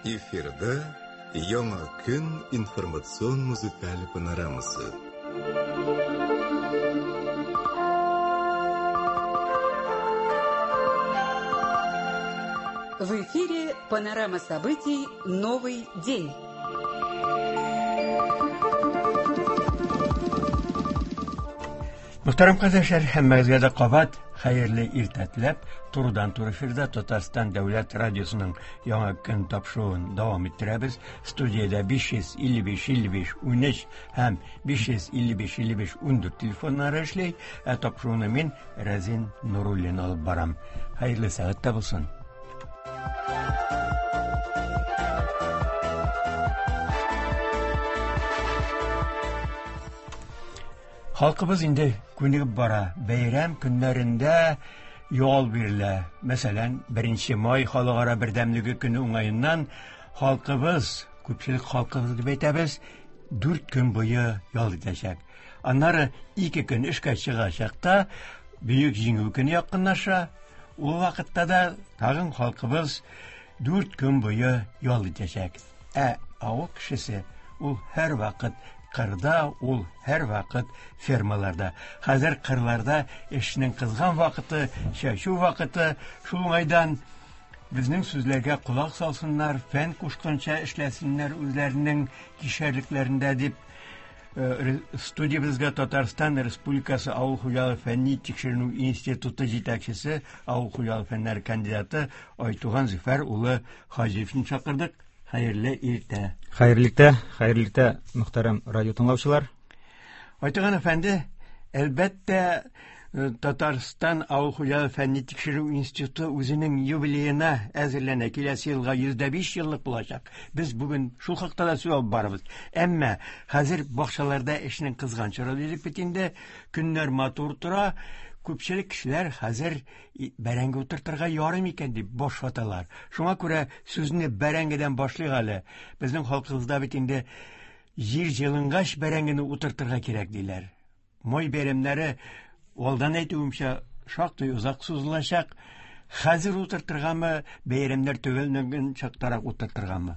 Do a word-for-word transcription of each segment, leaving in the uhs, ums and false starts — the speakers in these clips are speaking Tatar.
Эфирда Яңа көн информацион музыкаль панорамасы. В эфире панорама событий «Новый день». Мөхтәрәм кардәшләр, һәммәгезгә дә кабат хәерле иртә теләп, турыдан-туры эфирда Татарстан дәүләт радиосының Яңа көн тапшыруын дәвам иттерәбез. Студиядә биш йөз илле биш илле биш унөч һәм биш йөз илле биш илле биш ундүрт телефоннары эшли. Ә тапшыруны мин, Рәзин Нуруллин, алып барам. Хәерле сәгатьтә булсын. Халкыбыз инде күнегеп бара. Бәйрәм көннәрендә ял бирелә. Мәсәлән, беренче май халыкара бердәмлеге көне уңаеннан халкыбыз, күпчелек халкыбыз дип әйтәбез, дүрт көн буе ял итәчәк. Аннары ике көн эшкә чыгачак та, Бөек Җиңү көне якынлаша. Ул вакытта да тагын халкыбыз дүрт көн буе ял итәчәк. Ә авыл кешесе ул һәр вакыт кырда, ул һәр вакыт фермаларда. Хәзер кырларда эшнең кызган вакыты, чәчү вакыты. Шул уңайдан безнең сүзләргә колак салсыннар, фән кушканча эшләсеннәр үзләренең кишәрлекләрендә дип, э, студиябезгә Татарстан Республикасы Авыл хуҗалыгы фәнни тикшеренү институты җитәкчесе, авыл хуҗалыгы фәннәре кандидаты Айтуган Зөфәр улы Хаҗиевны чакырдык. Хәерле иртә. Хәерле иртә, хәерле иртә, мөхтәрәм радио тыңлаучылар. Айтуган әфәнде, әлбәттә, э, Татарстан Авыл хуҗалыгы фәнни тикшерү институты үзенең юбилеена әзерләнә. Киләсе елга йөз дә биш еллык булачак. Без бүген шул хакта да сүз алып барабыз. Әмма хәзер бакчаларда эшнең кызган чоры дидек бит инде. Көннәр матур тора. Күпчелек кешеләр хәзер бәрәңге утыртырга ярый микән дип баш ваталар. Шуңа күрә сүзне бәрәңгедән башлыйк әле. Безнең халкыбызда бит инде җир җылынгач бәрәңгене утыртырга кирәк диләр. Май бәйрәмнәре, алдан әйтүемчә, шактый озак сузылачак. Хәзер утыртыргамы, бәйрәмнәр төгәлләнгән чактарак утыртыргамы?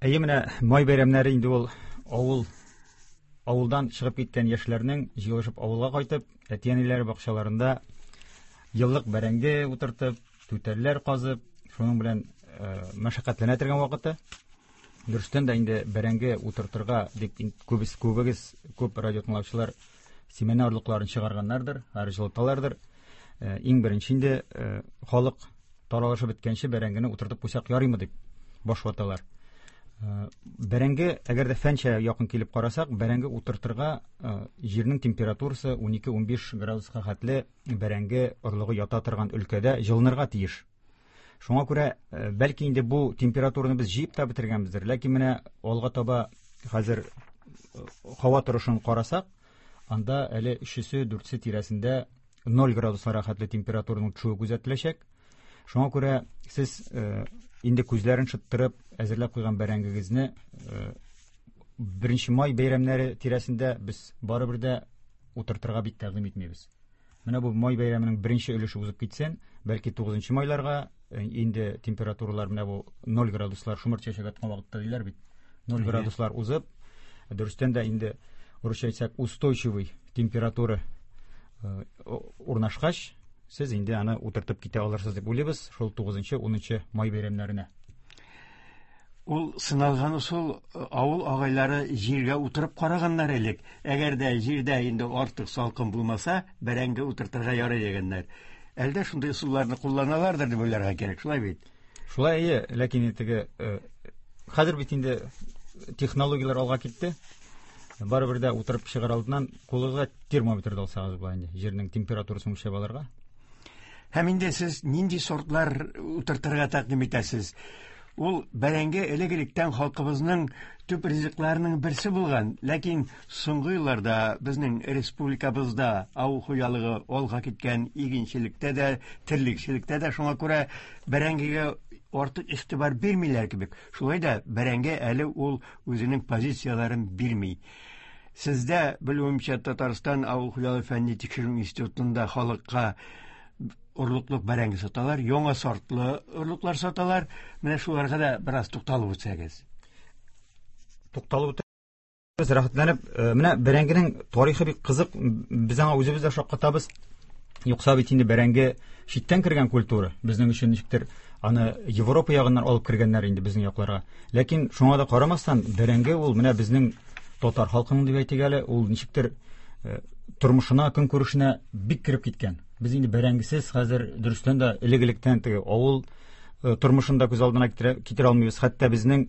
Әйе, менә май бәйрәмнәре инде ул авыл, авылдан чыгып киткән яшьләрнең җыелышып авылга кайтып, әти-әниләре бакчаларында еллык бәрәңге утыртып, түтәлләр казып, шуның белән, э, мәшәкатьләнә торган вакыты. Дөрестән дә инде бәрәңге утыртырга дип күбес, күбегез, күп радио тыңлаучылар семена орлыкларын чыгарганнардыр, һәр җылыталардыр. Э, иң беренче инде, э, халык таралышып беткәнче бәрәңгене утыртып куйсак ярыймы дип баш ваталар. Э, бәрәңге, әгәр дә фәнчә якын килеп карасак, бәрәңге утыртырга, э, җирнең температурасы унике-унбиш градуска хәтле бәрәңге орлыгы ята торган өлкәдә җылынырга тиеш. Шуңа күрә, э, бәлки инде бу температураны без җыеп та бетергәнбездер, ләкин менә алга таба хәзер, э, һава торышын карасак, анда әле өчесе, дүртесе тирәсендә ноль градусларга хәтле температураның төшүе күзәтеләчәк. Шуңа күрә сез, э, инде күзләрен шыттырып әзерләп куйган бәрәңгегезне, э, беренче май бәйрәмнәре тирәсендә без барыбер дә утыртырга бик тәкъдим итмибез. Менә бу май бәйрәменең беренче өлеше узып китсен, бәлки тугызынчы майларга, э, инде температуралар менә бу ноль градуслар шомырт чәчәк аткан вакытта диләр бит. Ноль Әйе. градуслар узып, дөрестән дә инде урысча әйтсәк, устойчивый температура, э, урнашкач, сез инде аны утыртып китә алырсыз дип уйлыйбыз шул тугызынчы, унынчы май бәйрәмнәренә. Ул сыналган ысул, авыл агайлары җиргә утырып караганнар элек. Әгәр дә җирдә инде артык салкын булмаса, бәрәңге утыртырга ярый дигәннәр. Әлдә шундый ысулларны кулланалардыр дип уйларга кирәк, шулай бит? Шулай, әйе, ләкин теге, э, хәзер бит инде технологияләр алга китте. Барыбер дә утырып чыгар алдыннан кулыгызга термометр да алсагыз була инде, җирнең температурасын үлчәп алырга. Һәм инде сез нинди сортлар утыртырга тәкъдим итәсез? Ул бәрәңге элек-электән халкыбызның төп ризыкларының берсе булган, ләкин соңгы елларда безнең республикабызда авыл хуҗалыгы алга киткән, игенчелектә дә, терлекчелектә дә, шуңа күрә бәрәңгегә артык игътибар бирмиләр кебек. Шулай да бәрәңге әле ул үзенең позицияләрен бирми. Сездә, белүемчә, Татарстан авыл хуҗалыгы фәнни тикшеренү институтында халыкка Орлыклык бәрәңге саталар, яңа сортлы орлыклар саталар. Менә шуларга да бераз тукталып үтсәгез. Тукталып үтәбез, рәхәтләнеп. Менә бәрәңгенең тарихы бик кызык. Без аңа үзебез дә шаккатабыз. Юкса бит инде бәрәңге читтән кергән культура. Безнең өчен ничектер аны Европа ягыннан алып кергәннәр инде безнең якларга. Ләкин шуңа да карамастан, бәрәңге ул менә безнең татар халкының дип әйтик әле, ул ничектер тормышына, көнкүрешенә бик кереп киткән. Без инде бәрәңгесез хәзер дөрестән дә элек-электән теге авыл тормышын да күз алдына китерә алмыйбыз. Хәтта безнең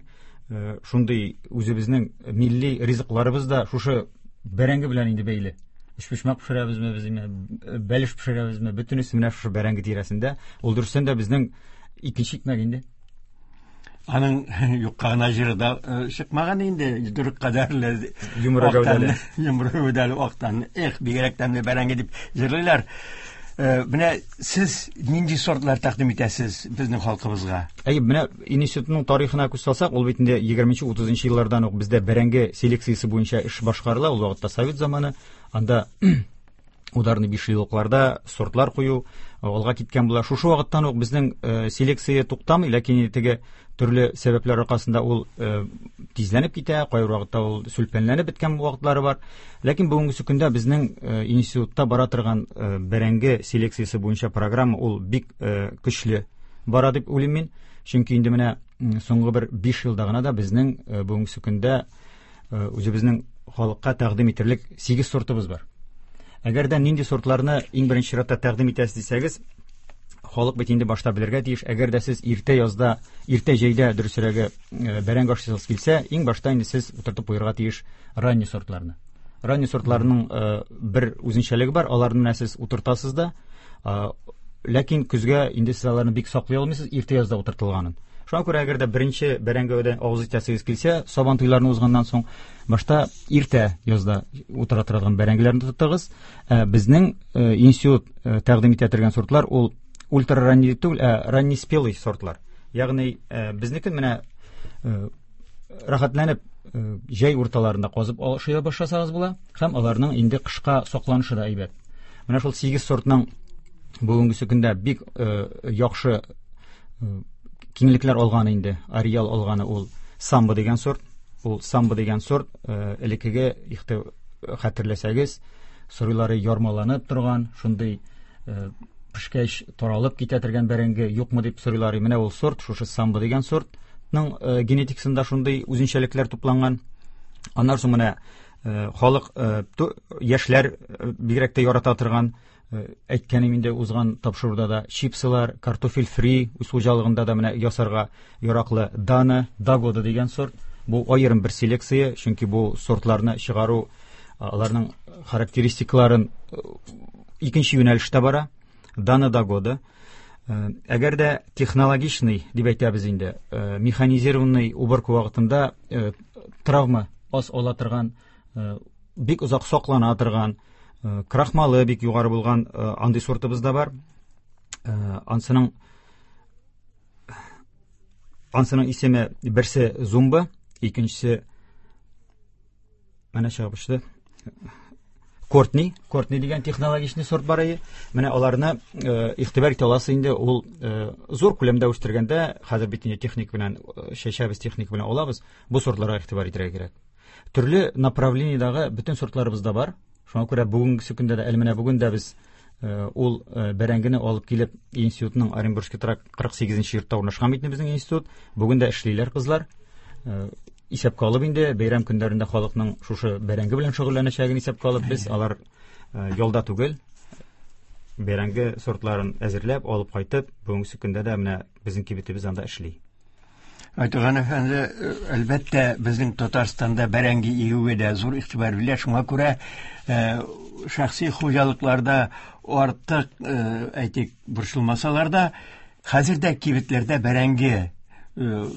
шундый үзебезнең милли ризыкларыбыз да шушы бәрәңге белән инде бәйле. Өчпочмак пешерәбезме без, бәлеш пешерәбезме, бөтенесе менә шушы бәрәңге тирәсендә. Ул дөрестән дә безнең икенче икмәк инде. Аның юкка гына җыры да чыкмаган инде, йодрык кадәрле йомры гәүдәле, йомры гәүдәле актан, эх, бигрәк тәмле бәрәңге дип җырлыйлар. Менә сез нинди сортлар тәкъдим итәсез безнең халкыбызга? Әйе, менә институтның тарихына күз салсак, ул бит инде егерменче утызынчы еллардан ук бездә бәрәңге селекциясе буенча эш башкарыла. Ул вакытта совет заманы, анда ударный бишьеллыкларда сортлар кую алга киткән була. Шушы вакыттан ук безнең селекция туктамый, ләкин теге төрле сәбәпләр аркасында ул тизләнеп китә, кайбер вакытта ул сүлпәнләнеп беткән вакытлары бар. Ләкин бүгенге көндә безнең институтта бара торган бәрәңге селекциясе буенча программа ул бик көчле бара дип уйлыйм мин. Чөнки инде менә соңгы бер биш елда гына да безнең бүгенге көндә үзебезнең халыкка тәкъдим итерлек сигез сортыбыз бар. Әгәр дә нинди сортларны иң беренче чиратта тәкъдим итәсез дисәгез, халык бит инде башта белергә тиеш. Әгәр дә сез иртә язда, иртә җәйдә дөресрәге бәрәңге ашыйсыгыз килсә, иң башта инде сез утыртып куярга тиеш ранний сортларны. Ранний сортларның бер үзенчәлеге бар, аларны менә сез утыртасыз да, ләкин көзгә инде сез аларны бик саклый алмыйсыз, иртә язда утыртылганын. Шуңа күрә әгәр дә беренче бәрәңгедән авыз итәсегез килсә, сабан туйларны узганнан соң башта иртә язда утыра торган бәрәңгеләрне тотыгыз. Безнең институт тәкъдим итә торган сортлар ул ультраранний түгел, ә ранний спелый сортлар. Ягъни безнеке менә рәхәтләнеп җәй урталарында казып ашый башласагыз була, һәм аларның инде кышка сакланышы да әйбәт. Менә шул сигез сортның бүгенге көндә бик яхшы киңлекләр алганы инде, ареал алганы ул самбо дигән сорт. Ул самбо дигән сорт элеккеге хәтерләсәгез, сорыйлары ярмаланып торган, шундый пешкәч таралып китә торган бәрәңге юкмы дип сорыйлар. Менә ул сорт, шушы самбо дигән сортның генетикасында шундый үзенчәлекләр тупланган. Аннан соң менә халык, яшьләр бигрәк тә ярата торган, әйткәнем инде узган тапшыруда да, чипсылар, картофель фри үз хуҗалыгында да менә ясарга яраклы Дана, Дагода дигән сорт. Бу аерым бер селекция, чөнки бу сортларны чыгару, аларның характеристикаларын икенче юнәлештә бара. Дана, Дагода. Әгәр дә технологичный дип әйтәбез инде, механизированный уборка вакытында травма аз ала торган, бик озак саклана торган, крахмалы бик югары булган андый сортыбыз да бар. Ансының ансының исеме берсе Зумба, икенчесе менә чыгып очты. Кортни, Кортни дигән технологичный сорт бар иде. Менә аларны игътибар итә аласыз инде, ул зур күләмдә үстергәндә, хәзер бит инде техник белән чәчәбез, техник белән алабыз, бу сортларга игътибар итәргә кирәк. Төрле направлениедагы бөтен сортларыбыз да бар. Шуңа күрә бүгенге көндә дә, әле менә бүген дә без ул бәрәңгене алып килеп институтның Оренбургский тракт кырык сигезенче йортта урнашкан бит безнең институт. Бүген дә эшлиләр кызлар. Исәпкә алып инде бәйрәм көннәрендә халыкның шушы бәрәңге белән шөгыльләнәчәген исәпкә алып, без алар ялда түгел, бәрәңге сортларын әзерләп алып кайтып, бүгенге көндә дә менә безнең кибетебез анда эшли. Айтуган әфәнде, әлбәттә, безнең Татарстанда бәрәңге игүгә дә зур игътибар бирелә. Шуңа күрә шәхси хуҗалыкларда артык, әйтик, борчылмасалар да, хәзер дә кибетләрдә бәрәңге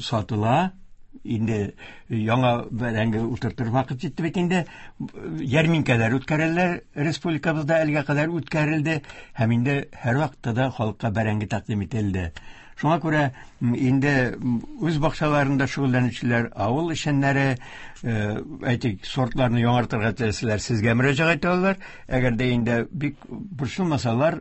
сатыла. Инде яңа бәрәңге утыртыр вакыт җитте бит инде. Ярминкәләр үткәрәләр республикабызда, әлегә кадәр үткәрелде һәм инде һәр вакытта да халыкка бәрәңге тәкъдим ителде. Шуңа күрә инде үз бакчаларында шөгыльләнүчеләр, авыл эшчәннәре, әйтик, сортларны яңартырга теләсәләр, сезгә мөрәҗәгать итә алалар. Әгәр дә инде бик борчылмасалар,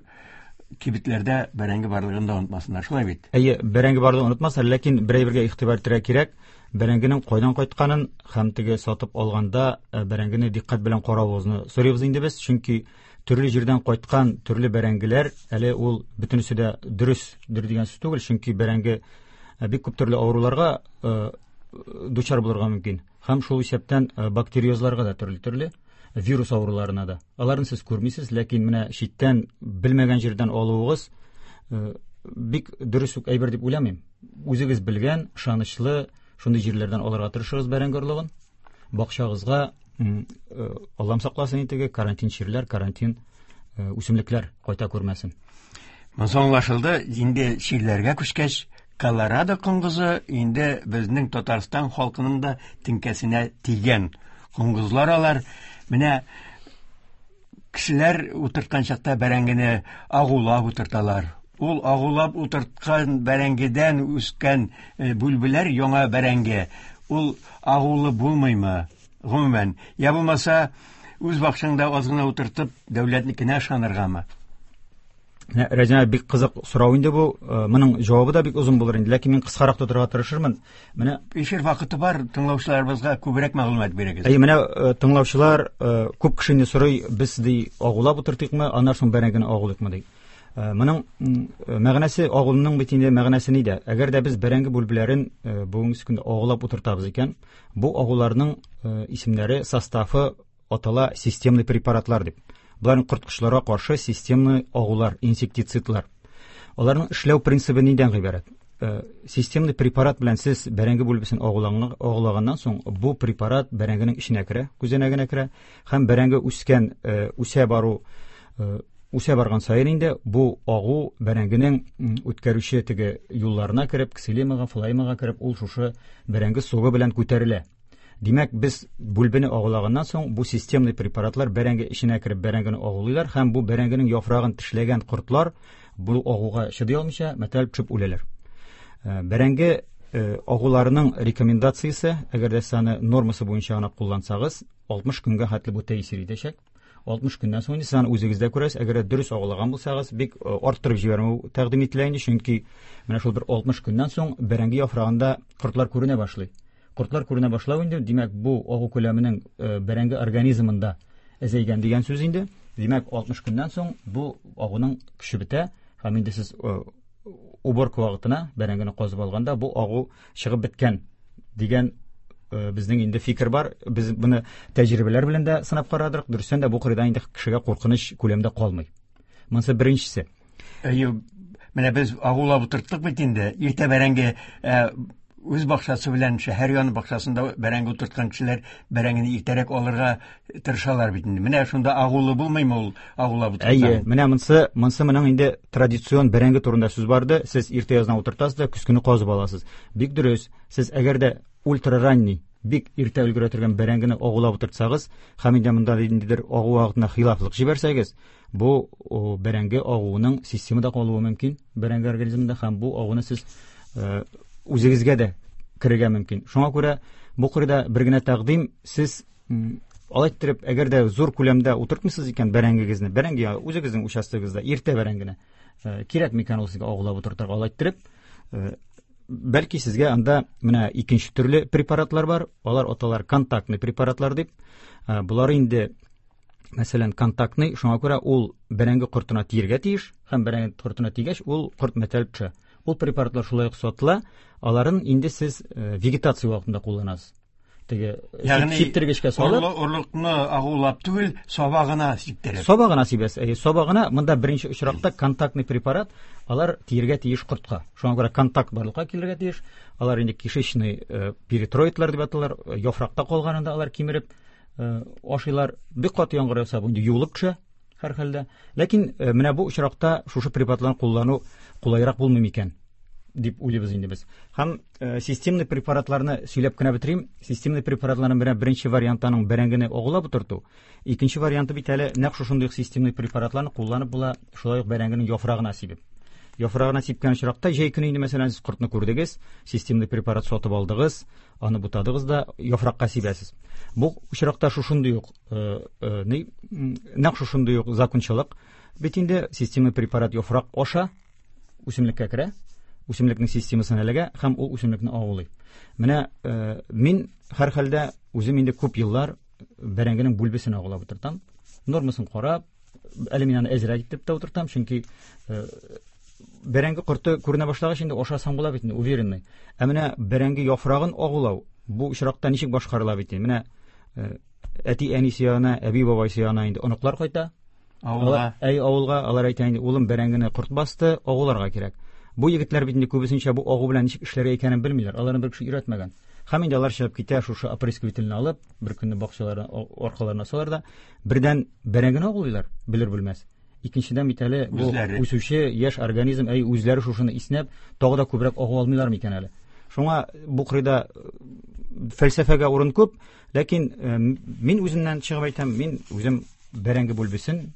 Кибетләрдә бәрәңге барлыгын да онытмасыннар, шулай бит? Әйе, бәрәңге барлыгын онытмасыннар, ләкин берәй-бергә игътибар итәргә кирәк. Бәрәңгенең кайдан кайтканын һәм теге сатып алганда бәрәңгене дикъкать белән каравыгызны сорыйбыз инде без, чөнки төрле җирдән кайткан төрле бәрәңгеләр әле ул бөтенесе дә дөресдер дигән сүз түгел, чөнки бәрәңге бик күп төрле авыруларга дучар булырга мөмкин. Һәм шул исәптән бактериозларга да төрле-төрле вирус авыруларына да. Аларны сез күрмисез, ләкин менә читтән белмәгән җирдән алуыгыз бик дөрес үк әйбер дип уйламыйм. Үзегез белгән, ышанычлы шундый җирләрдән алырга тырышыгыз бәрәңге орлыгын. Бакчагызга, Аллам сакласын инде, карантин чирләр, карантин үсемлекләр кайта күрмәсен. Монысы аңлашылды. Инде чирләргә күчкәч, Колорадо коңгызы инде безнең Татарстан халкының да теңкәсенә тигән коңгызлар алар. Менә кешеләр утырткан чакта бәрәңгене агулап утырталар. Ул агулап утырткан бәрәңгедән үскән бүлбеләр яңа бәрәңге. Ул агулы булмыймы? Гомумән, я булмаса, үз бакчаңда аз гына утыртып, дәүләтнекенә ышаныргамы? Рәҗәп, бик кызык сорау инде бу. Моның җавабы да бик озын булыр инде, ләкин мин кыскарак тотарга тырышырмын. Менә эфир вакыты бар, тыңлаучыларыбызга күбрәк мәгълүмат бирегез. Әйе, менә тыңлаучылар күп кеше инде сорый, без ди агулап утыртыйкмы, аннан соң бәрәңгене агулыйкмы ди. Моның мәгънәсе, агулның бит инде мәгънәсе нидә? Әгәр дә без бәрәңге бүлбеләрен бүгенге көндә агулап утыртабыз икән, бу агуларның исемнәре, составы атала системный препаратлар дип. Буларның корткычларга каршы системный агулар, инсектицидлар. Аларның эшләү принцибы нидән гыйбарәт? Системный препарат белән сез бәрәңге бүлбесен агулаганнан соң, бу препарат бәрәңгенең эченә керә, күзәнәгенә керә һәм бәрәңге үскән, үсә бару, үсә барган саен инде бу агу бәрәңгенең үткәрүче теге юлларына кереп, ксилемага, флоэмага кереп, ул шушы бәрәңге согы белән күтәрелә. Димәк, без бүлбене агулаганнан соң бу системный препаратлар бәрәңге эченә кереп бәрәңгене агулыйлар һәм бу бәрәңгенең яфрагын тешләгән кортлар бу агуга чыдый алмыйча мәтәлеп төшеп үләләр. Бәрәңге агуларының рекомендациясе, әгәр дә сез аны нормасы буенча гына куллансагыз, алтмыш көнгә хәтле бу тәэсир итәчәк. Алтмыш көннән соң инде сез аны үзегездә күрәсез, әгәр дә дөрес агулаган булсагыз, бик арттырып җибәрмәү тәкъдим ителә инде, чөнки менә шул бер алтмыш көннән соң бәрәңге яфрагында кортлар күренә башлый. Кортлар күренә башлау инде, димәк, бу агу күләменең бәрәңге организмында әзәйгән дигән сүз инде. Димәк, алтмыш көннән соң бу агуның көче бетә һәм инде сез уборка вакытына бәрәңгене казып алганда бу агу чыгып беткән дигән безнең инде фикер бар. Без моны тәҗрибәләр белән дә сынап карадык. Дөрестән дә бу кырыйдан инде кешегә куркыныч күләмдә калмый. Монысы беренчесе. Әйе, менә без агулап утырттык бит инде. Иртә бәрәңге үз бакчасы белән шәһәр яны бакчасында бәрәңге утырткан кешеләр бәрәңгене иртәрәк алырга тырышалар бит инде. Менә шунда агулы булмыймы ул агулап утыртсаң? Әйе, менә монысы, монысы моның инде традицион бәрәңге турында сүз барды. Сез иртә яздан утыртасыз да көз көне казып аласыз. Бик дөрес. Сез әгәр дә ультраранний, бик иртә өлгерә торган бәрәңгене агулап утыртсагыз, һәм инде монда ниндидер агу вакытында хилафлык җибәрсәгез, бу бәрәңге агуының системада калуы мөмкин бәрәңге организмында, һәм бу агуны сез үзегезгә дә керергә мөмкин. Шуңа күрә бу кырыйда бер генә тәкъдим, сез алай иттереп, әгәр дә зур күләмдә утыртмыйсыз икән бәрәңгегезне, бәрәңге үзегезнең участогыгызда иртә бәрәңгене кирәк микән ул сезгә агулап утыртырга, алай иттереп, бәлки сезгә анда менә икенче төрле препаратлар бар, алар аталар контактный препаратлар дип. Булар инде, мәсәлән, контактный, шуңа күрә ул бәрәңге кортына тиергә тиеш, һәм бәрәңге кортына тигәч, ул корт мәтәлеп төшә. Ул препаратлар шулай ук сатыла, аларын инде сез вегетация вакытында кулланасыз. Теге сиптергечкә салып, орлыкны агулап түгел, сабагына сиптереп. Сабагына сибәсез. Әйе, сабагына. Монда беренче очракта контактный препарат, алар тиергә тиеш кортка. Шуңа күрә контакт барлыкка килергә тиеш. Алар инде кишечный перитроидлар дип аталар, яфракта калганында алар кимереп ашыйлар. Бик каты яңгыр яуса, бу инде юылып төшә һәр хәлдә. Ләкин менә бу очракта шушы препаратларны куллану кулайрак булмый микән дип уйлыйбыз инде без. Һәм системный препаратларны сөйләп кенә бетерим. Системный препаратларның беренче, беренче варианты аның бәрәңгене агулап утырту. Икенче варианты бит әле нәкъ шушындый системный препаратларны кулланып була, шулай ук бәрәңгенең яфрагына сибеп. Яфрагына сипкән очракта җәй көне инде, мәсәлән, сез кортны күрдегез, системный препарат сатып алдыгыз, аны бутадыгыз да яфракка сибәсез. Бу очракта шушындый ук, нәкъ шушындый ук закончалык. Бит инде системный препарат яфрак аша үсемлеккә керә, үсемлекнең системасына эләгә һәм ул үсемлекне агулый. Менә э, мин һәрхәлдә үзем инде күп еллар бәрәңгенең бүлбесен агулап утыртам. Нормасын карап, әле мин аны әзрәк итеп тә утыртам, чөнки э, бәрәңге корты күренә башлагач инде ашасаң була бит инде, уверенный. Ә менә бәрәңге яфрагын агулау бу очракта ничек башкарыла бит инде? Менә э, әти-әнисе янына, әби-бабайсы янына инде оныклар кайта. Авылга. Әй, авылга алар әйтә инде, улым, бәрәңгене корт басты, агуларга кирәк. Бу егетләр бит инде күбесенчә бу агу белән ничек эшләргә икәнен белмиләр. Аларны бер кеше өйрәтмәгән. Һәм инде алар чыгып китә, шушы опрыскивательне алып, бер көнне бакчаларына, аркаларына салар да, бердән бәрәңгене агулыйлар, белер белмәс. Икенчедән бит әле бу үсүче яшь организм, әй, үзләре шушыны иснәп, тагы да күбрәк агу алмыйлар микән әле. Шуңа бу кырыйда фәлсәфәгә урын күп, ләкин мин үземнән чыгып әйтәм, мин үзем бәрәңге бүлбесен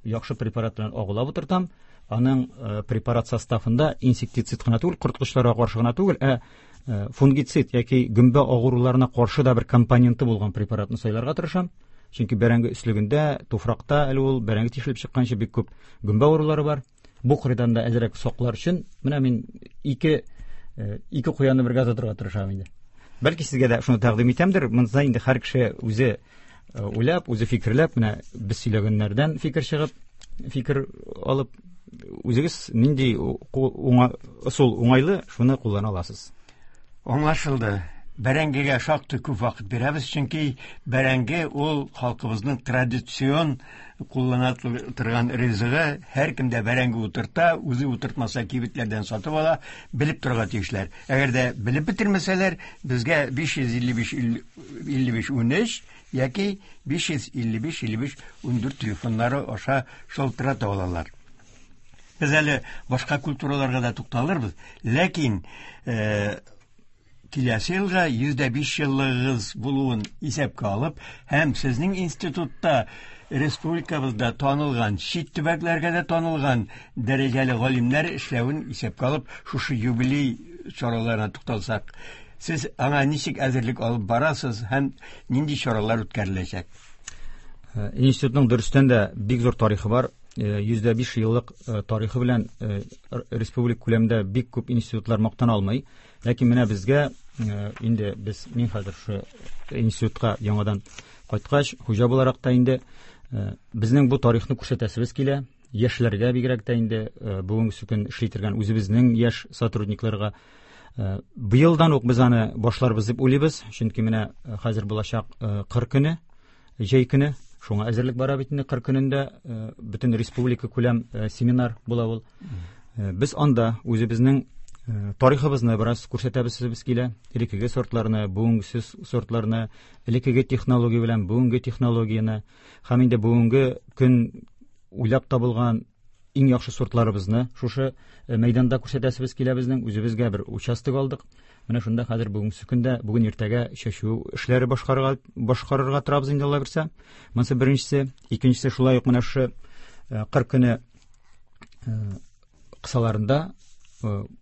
яхшы препарат белән агулап утыртам. Аның препарат составында инсектицид кына түгел, корткычларга каршы гына түгел, ә фунгицид яки гөмбә агуларына каршы да бер компоненты булган препаратны сайларга тырышам. Чөнки бәрәңге өслегендә, туфракта әле ул бәрәңге тишелеп чыкканчы бик күп гөмбә авырулары бар. Бу кырыйдан да әзрәк саклар өчен менә мин ике ике куянны бергә тотарга тырышам инде. Бәлки сезгә дә шуны тәкъдим итәмдер. Монда инде һәр кеше үзе уйлап, үзе фикерләп, менә без сөйләгәннәрдән фикер чыгып, фикер алып, үзегез нинди ысул уңайлы, шуны куллана аласыз. Аңлашылды. Бәрәңгегә шактый күп вакыт бирәбез, чөнки бәрәңге ул халкыбызның традицион куллана торган ризыгы. Һәркем дә бәрәңге утырта, үзе утыртмаса кибетләрдән сатып ала, белеп торырга тиешләр. Әгәр дә белеп бетермәсәләр, безгә биш йөз илле биш илле биш унөч яки биш йөз илле биш илле биш ундүрт телефоннары аша шалтырата алалар. Без әле башка культураларга да тукталырбыз, ләкин киләсе елга йөз дә биш еллыгыгыз булуын исәпкә алып, һәм сезнең институтта республикабызда танылган, чит төбәкләргә дә танылган дәрәҗәле галимнәр эшләвен исәпкә алып, шушы юбилей чараларына тукталсак, сез аңа ничек әзерлек алып барасыз һәм нинди чаралар үткәреләчәк? Институтның дөрестән дә бик зур тарихы бар. Йөз дә биш еллык тарихы белән республика күләмендә бик күп институтлар мактана алмый. Ләкин менә безгә инде без, мин хәзер шушы институтка яңадан кайткач, хуҗа буларак та инде безнең бу тарихны күрсәтәсебез килә. Яшьләргә бигрәк тә инде бүгенге көн эшли торган үзебезнең яшь сотрудникларга быелдан ук без аны башларбыз дип уйлыйбыз. Чөнки менә хәзер булачак кыр көне, җәй көне, шуңа әзерлек бара бит инде. Кыр көнендә бөтен республика күләм семинар була ул. Без анда үзебезнең тарихыбызны бераз күрсәтәбез килә. Элеккеге сортларны, бүгенге сортларны, элеккеге технология белән бүгенге технологияне һәм инде бүгенге көн уйлап табылган иң яхшы сортларыбызны шушы мәйданда күрсәтәсебез килә безнең. Үзебезгә бер участок алдык. Менә шунда хәзер бүгенге көндә, бүген иртәгә чәчү эшләре башкарырга, башкарырга торабыз инде, Алла бирсә. Монысы беренчесе. Икенчесе шулай ук менә шушы кыр көне кысаларында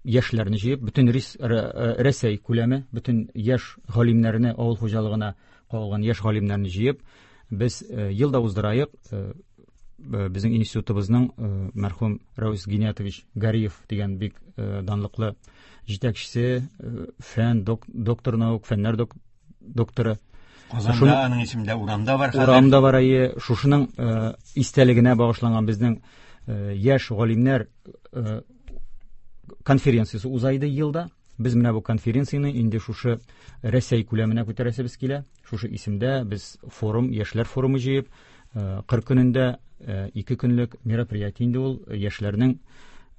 яшьләрне җыеп, бөтен Рәсәй күләме, бөтен яшь галимнәрне, авыл хуҗалыгына кагылган яшь галимнәрне җыеп, без елда уздыраек безнең институтыбызның мәрхүм Рәүс Гиниятович Гариев дигән бик данлыклы җитәкчесе, фән доктор наук, фәннәр докторы. Казанда аның исемендә урамда бар хәзер. Урамда бар, әйе. Шушының истәлегенә багышланган безнең яшь галимнәр конференциясе узайды елда. Без менә бу конференцияне инде шушы Рәсәй күләменә күтәрәсебез килә. Шушы исемдә без форум, яшьләр форумы җыеп, кыр көнендә ике көнлек мероприятие инде ул яшьләрнең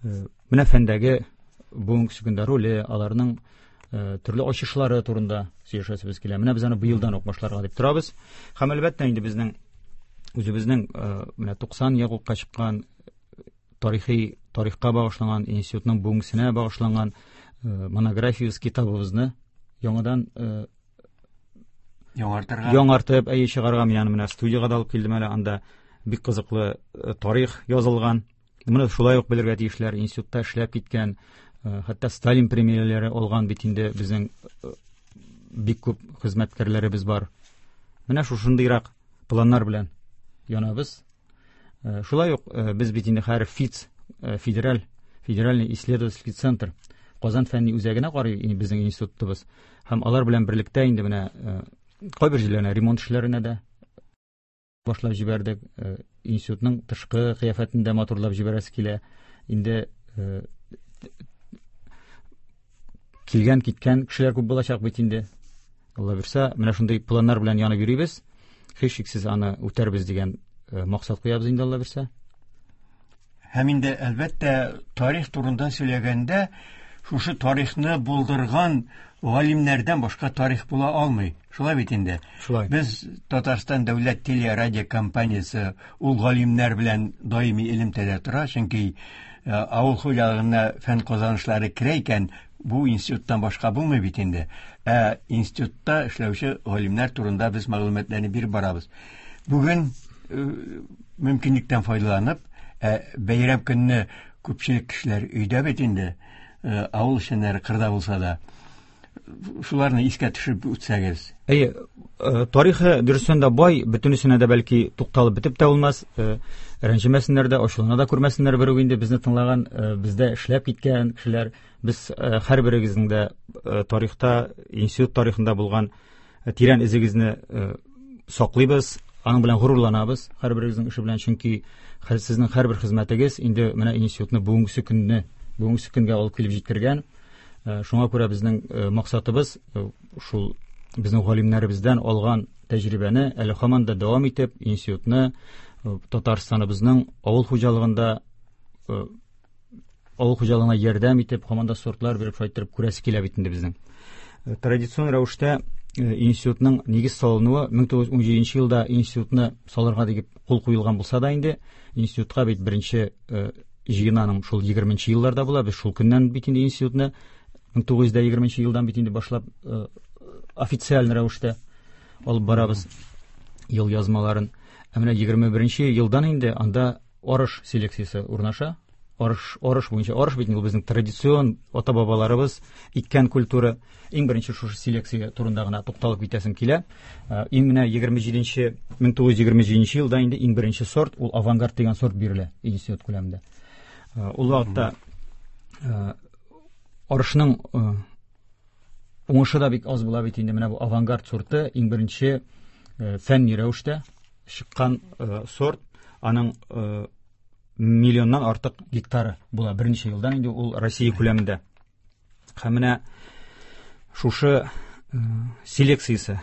менә фәндәге бүгенге көндә роле, аларның төрле ачышлары турында сөйләшәсебез килә. Менә без аны быелдан ук башларга дип торабыз. Һәм әлбәттә инде безнең үзебезнең менә туксан елга чыккан тарихи тарихка багышланган институтның бүгенгесенә багышланган монографиябез, китабыбызны яңадан яңартырга, яңартып, әйе, чыгарга. Мин аны менә студиягә дә алып килдем әле, анда бик кызыклы тарих язылган. Моны шулай ук белергә тиешләр. Институтта эшләп киткән, хәтта Сталин премияләре алган бит инде безнең бик күп хезмәткәрләребез бар. Менә шушындыйрак планнар белән янабыз. Шулай ук без бит инде хәзер ФИЦ, федераль, федеральный исследовательский центр Казан фәнни үзәгенә карый безнең институтыбыз. Һәм алар белән берлектә инде менә кайбер җирләренә ремонт эшләренә дә башлап җибәрдек. Институтның тышкы кыяфәтен дә матурлап җибәрәсе килә. Инде килгән киткән кешеләр күп булачак бит инде. Алла бирсә, менә шундый планнар белән янып йөрибез. Һичшиксез аны үтәрбез дигән максат куябыз инде, Алла бирсә. Һәм инде әлбәттә тарих турында сөйләгәндә шушы тарихны булдырган галимнәрдән башка тарих була алмый. Шулай бит инде. Шулай. Без Татарстан дәүләт телерадиокомпаниясе ул галимнәр белән даими элемтәдә тора, чөнки авыл хуҗалыгына фән казанышлары керә икән, бу институттан башка булмый бит инде. Ә институтта эшләүче галимнәр турында без мәгълүматларны биреп барабыз. Бүген мөмкинлектән файдаланып, бәйрәм көнне күпчелек кешеләр өйдә бит инде, авыл эшчәннәре кырда булса да, шуларны искә төшереп үтсәгез. Әйе, тарихы дөрестән дә бай, бөтенесенә дә бәлки тукталып бетеп тә булмас, рәнҗемәсеннәр дә, ачулана да күрмәсеннәр берүк инде безне тыңлаган, бездә эшләп киткән кешеләр. Без һәрберегезнең дә тарихта, институт тарихында булган тирән эзегезне саклыйбыз, аның белән горурланабыз, һәрберегезнең эше белән, чөнки сезнең һәрбер хезмәтегез инде менә институтны бүгенге көнне, бүгенге көнгә алып килеп җиткергән. Шуңа күрә безнең максатыбыз шул безнең галимнәребездән алган тәҗрибәне әле һаман да дәвам итеп, институтны Татарстаныбызның авыл хуҗалыгында, авыл хуҗалыгына ярдәм итеп, һаман да сортлар биреп, шулай итеп күрәсе килә бит инде безнең. Традицион рәвештә институтның нигез салынуы мең тугыз йөз унҗиденче елда институтны салырга дип кул куелган булса да инде, институтка бит беренче җыенаның шул егерменче елларда була. Без шул көннән бит инде институтны мең тугыз йөз егерменче елдан бит инде башлап официаль рәвештә алып барабыз ел язмаларын. Ә менә егерме беренче елдан инде анда арыш селекциясе урнаша. Арыш, арыш буенча, арыш бит инде ул безнең традицион ата-бабаларыбыз иккән культура. Иң беренче шушы селекция турында гына тукталып китәсем килә. Иң менә егерме җиденче, мең тугыз йөз егерме җиденче елда инде иң беренче сорт ул авангард дигән сорт бирелә институт күләмендә. Ул вакытта арышның уңышы да бик аз була бит инде. Менә бу авангард сорты иң беренче фәнни рәвештә чыккан сорт, аның миллионнан артык гектары була берничә елдан инде ул Россия күләмендә. Һәм менә шушы селекциясе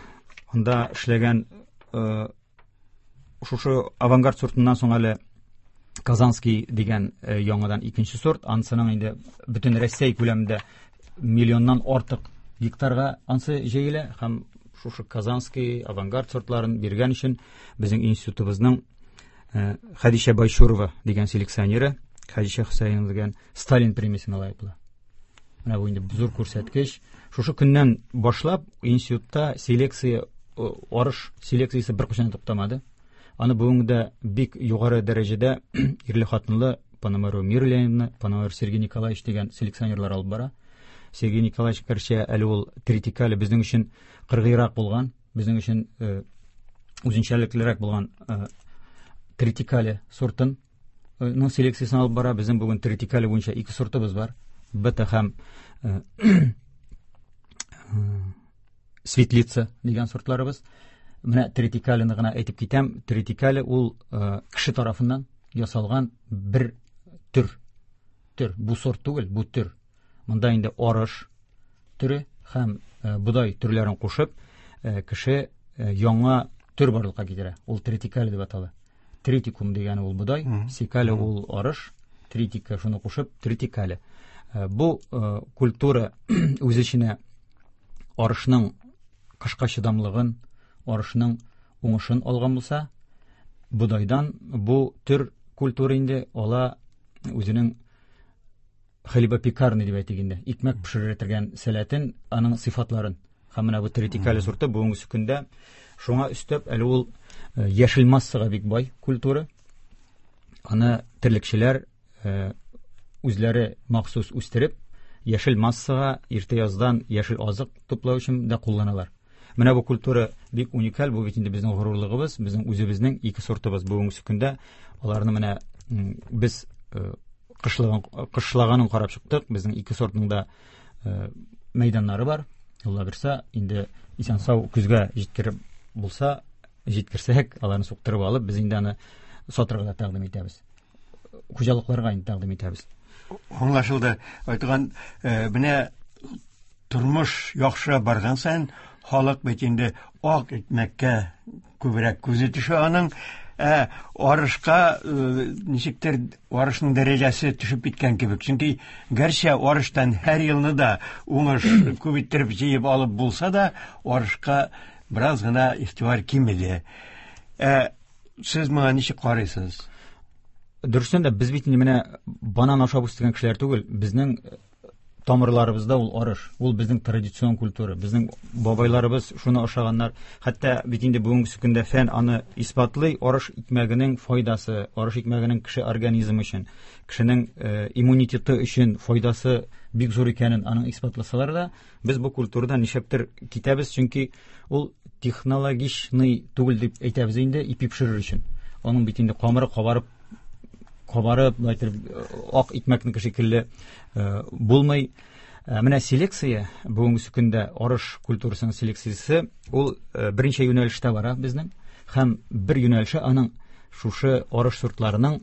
анда эшләгән шушы авангард сортыннан соң әле Казанский дигән яңадан икенче сорт, ансының инде бөтен Россия күләмендә миллионнан артык гектарга ансы җәелә. Һәм шушы Казанский авангард сортларын биргән өчен безнең институтыбызның Хәдичә Байчурова дигән селекционеры, Хәдичә Хөсәенова дигән Сталин премиясенә лаек була. Менә бу инде зур күрсәткеч. Шушы көннән башлап институтта селекция, арыш селекциясе беркайчан туктамады. Аны бүгенге дә бик югары дәрәҗәдә ирле-хатынлы Пономарев Мира Леонидовна, Пономарев Сергей Николаевич дигән селекционерлар алып бара. Сергей Николаевич керчә әле ул тритикале безнең өчен кыргыйрак булган, безнең өчен үзенчәлеклерәк булган тритикале сортын ның селекциясен алып бара. Безнең бүген тритикале буенча ике сортыбыз бар. Бета һәм светлица дигән сортларыбыз. Менә тритикалены гына әйтеп китәм. Тритикале ул кеше тарафыннан ясалган бер төр. Төр. Бу сорт түгел, бу төр. Монда инде арыш төре һәм бодай төрләрен кушып, кеше яңа төр барлыкка китерә. Ул тритикале дип атала. Тритикум дигәне ул бодай, сикале ул арыш, тритика шуны кушып тритикале. Бу культура үз эченә арышның кышка чыдамлыгын, арышның уңышын алган булса, бодайдан бу төр культура инде ала үзенең хлебопекарный дип әйтик инде, икмәк пешерә торган сәләтен, аның сыйфатларын. Һәм менә бу тритикале сорты бүгенге көндә шуңа өстәп әле ул яшел массага бик бай культура. Аны терлекчеләр үзләре махсус үстереп, яшел массага иртә яздан яшел азык туплау өчен дә кулланалар. Менә бу культура бик уникаль, бу бит инде безнең горурлыгыбыз, безнең үзебезнең ике сортыбыз бүгенге көндә Аларны менә без кышлаган кышлаганын карап чыктык. Безнең ике сортның да мәйданнары бар. Алла бирсә, инде исән-сау көзгә җиткереп булса, җиткерсәк, аларны суктырып алып, без инде аны сатырга да тәкъдим итәбез. Хуҗалыкларга инде тәкъдим итәбез. Аңлашылды. Айтган, менә тормыш яхшы барган саен халык бит инде ак икмәккә күбрәк күзе төшә аның. Ә арышка ничектер арышның дәрәҗәсе төшеп киткән кебек. Чөнки гәрчә арыштан һәр елны да уңыш күп иттереп җыеп алып булса да, арышка бераз гына игътибар кимеде. Ә сез моңа ничек карыйсыз? Дөрестән дә без бит инде менә банан ашап үстергән кешеләр түгел. Безнең тамырларыбызда ул арыш, ул безнең традицион культура. Безнең бабайларыбыз шуны ашаганнар. Хәтта бит инде бүгенге көндә фән аны исбатлый, арыш икмәгенең файдасы, арыш икмәгенең кеше организмы өчен, кешенең иммунитеты өчен файдасы бик зур икәнен аның исбатласалар да, без бу культурадан нишләптер китәбез, чөнки ул технологичный түгел дип әйтәбез инде ипи пешерер өчен. Аның бит инде камыры кабарып кабарып, ак икмәкнеке шикелле булмый. Менә селекция, бүгенге көндә арыш культурасының селекциясе, ул берничә юнәлештә бара безнең. Һәм бер юнәлеше аның шушы арыш сортларының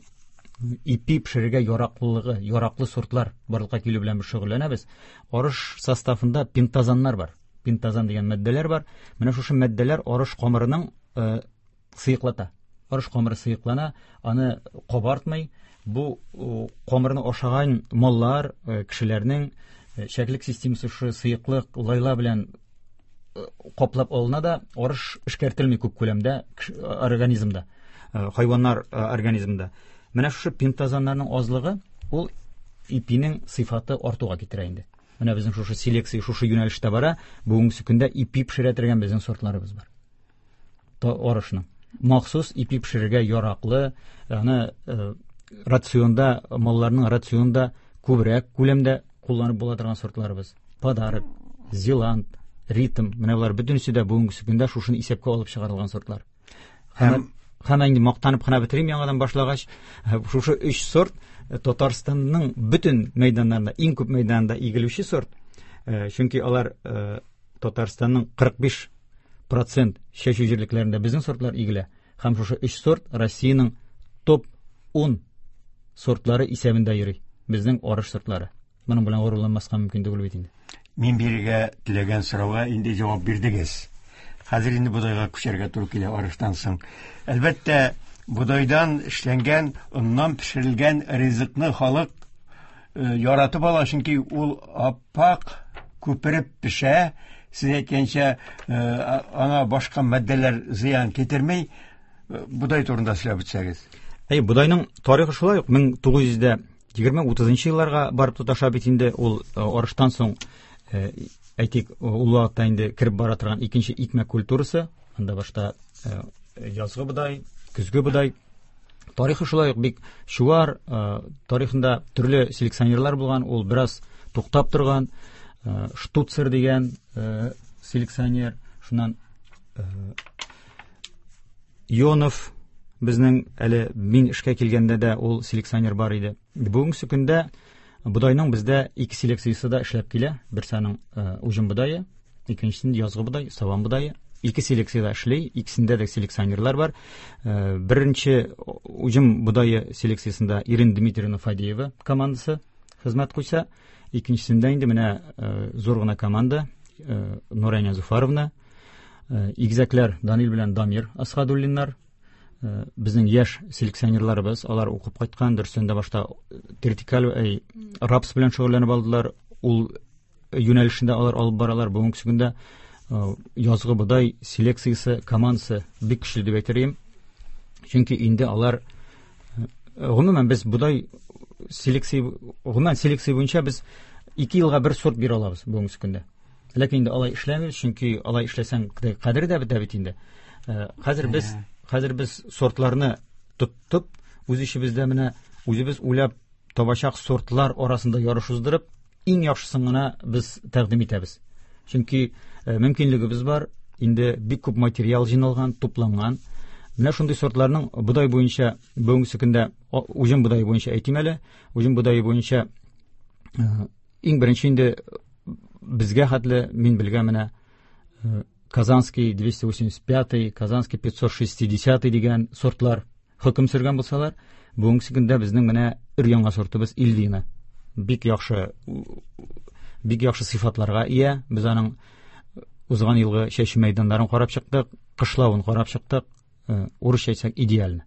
ипи пешерергә яраклылыгы, яраклы сортлар барлыкка килү белән без шөгыльләнәбез. Арыш составында пентазаннар бар. Пентазан дигән матдәләр бар. Менә шушы матдәләр арыш камырының сыеклата. Арыш камыры сыеклана, аны кабартмый. Бу камырны ашаган маллар, кешеләрнең шәклек системасы шушы сыеклык лайла белән каплап алына да, арыш эшкәртелми күп күләмдә организмда, хайваннар организмында. Менә шушы пентазаннарның азлыгы ул ипинең сыйфаты артуга китерә инде. Менә безнең шушы селекция шушы юнәлештә бара. Бүгенге көндә ипи пешерә торган безнең сортларыбыз бар. Арышның махсус ипи пешерергә яраклы, аны рационда, малларның рационда күбрәк күләмдә кулланып була торган сортларыбыз. Подарок, Зеланд, Ритм, менә болар бөтенесе дә бүгенге көндә шушыны исәпкә алып чыгарылган сортлар. Һәм һәм инде мактанып кына бетерим яңадан башлагач, шушы өч сорт Татарстанның бөтен мәйданнарында, иң күп мәйданында игелүче сорт. Чөнки алар Татарстанның кырык биш процент чәчү җирлекләрендә безнең сортлар игелә. Һәм шушы өч сорт Россиянең топ ун сортлары исәбендә йөри. Безнең арыш сортлары. Моның белән горурланмаска мөмкин түгел бит инде. Мин бирергә теләгән сорауга инде җавап бирдегез. Хәзер инде бодайга күчәргә туры килә арыштан соң. Әлбәттә, бодайдан эшләнгән, оннан пешерелгән ризыкны халык яратып ала, чөнки ул аппак күпереп пешә. Сез әйткәнчә, аңа башка матдәләр зыян китермей. Бодай турында сөйләп үтсәгез. Әй, бодайның тарихы шулай ук мең тугыз йөз дә егерме утызынчы елларга барып тоташа бит инде. Ул арыштан соң, әйтик, ул вакытта инде кереп бара торган икенче икмәк культурасы. Анда башта язгы бодай, көзге бодай. Тарихы шулай ук бик чуар, тарихында төрле селекционерлар булган, ул бераз туктап торган. Штуцер дигән селекционер, шуннан Йонов безнең әле мин эшкә килгәндә дә ул селекционер бар иде. Бүгенге көндә бодайның бездә ике селекциясе дә эшләп килә. Берсе аның уҗым бодае, икенчесендә язгы бодай, сабан бодае. Ике селекция дә эшли, икесендә дә селекционерлар бар. Беренче уҗым бодае селекциясендә Ирина Дмитриевна Фадеева командасы хезмәт куйса, икенчесендә инде менә зур гына команда Нурания Зуфаровна, игезәкләр Данил белән Дамир Асхадуллиннар, безнең яшь селекционерларыбыз, алар укып кайткан, дөресендә башта тертикаль, әй, рапс белән шөгыльләнеп алдылар, ул юнәлешендә алар алып баралар. Бүгенге көндә язгы бодай селекциясе командасы бик көчле дип әйтер идем. Чөнки инде алар, гомумән без бодай селекция, гомумән селекция буенча без ике елга бер сорт бирә алабыз бүгенге көндә. Ләкин инде алай эшләмибез, чөнки алай эшләсәң кадере дә бетә бит инде. Хәзер без, хәзер без сортларны тоттып, үз эшебездә менә үзебез уйлап табачак сортлар арасында ярыш уздырып, иң яхшысын гына без тәкъдим итәбез. Чөнки мөмкинлегебез бар, инде бик күп материал җыйналган, тупланган. Менә шундый сортларның бодай буенча бүгенге көндә уҗым бодае буенча әйтим әле, уҗым бодае буенча иң беренче инде безгә хәтле мин белгән менә Казанский двести восемьдесят пятый, Казанский пятьсот шестидесятый дигән сортлар хөкем сөргән булсалар, бүгенге көндә безнең менә өр-яңа сортыбыз Ильвина. Бик яхшы, бик яхшы сыйфатларга ия. Без аның узган елгы чәчү мәйданнарын карап чыктык, кышлавын карап чыктык. Урысча әйтсәк, идеально.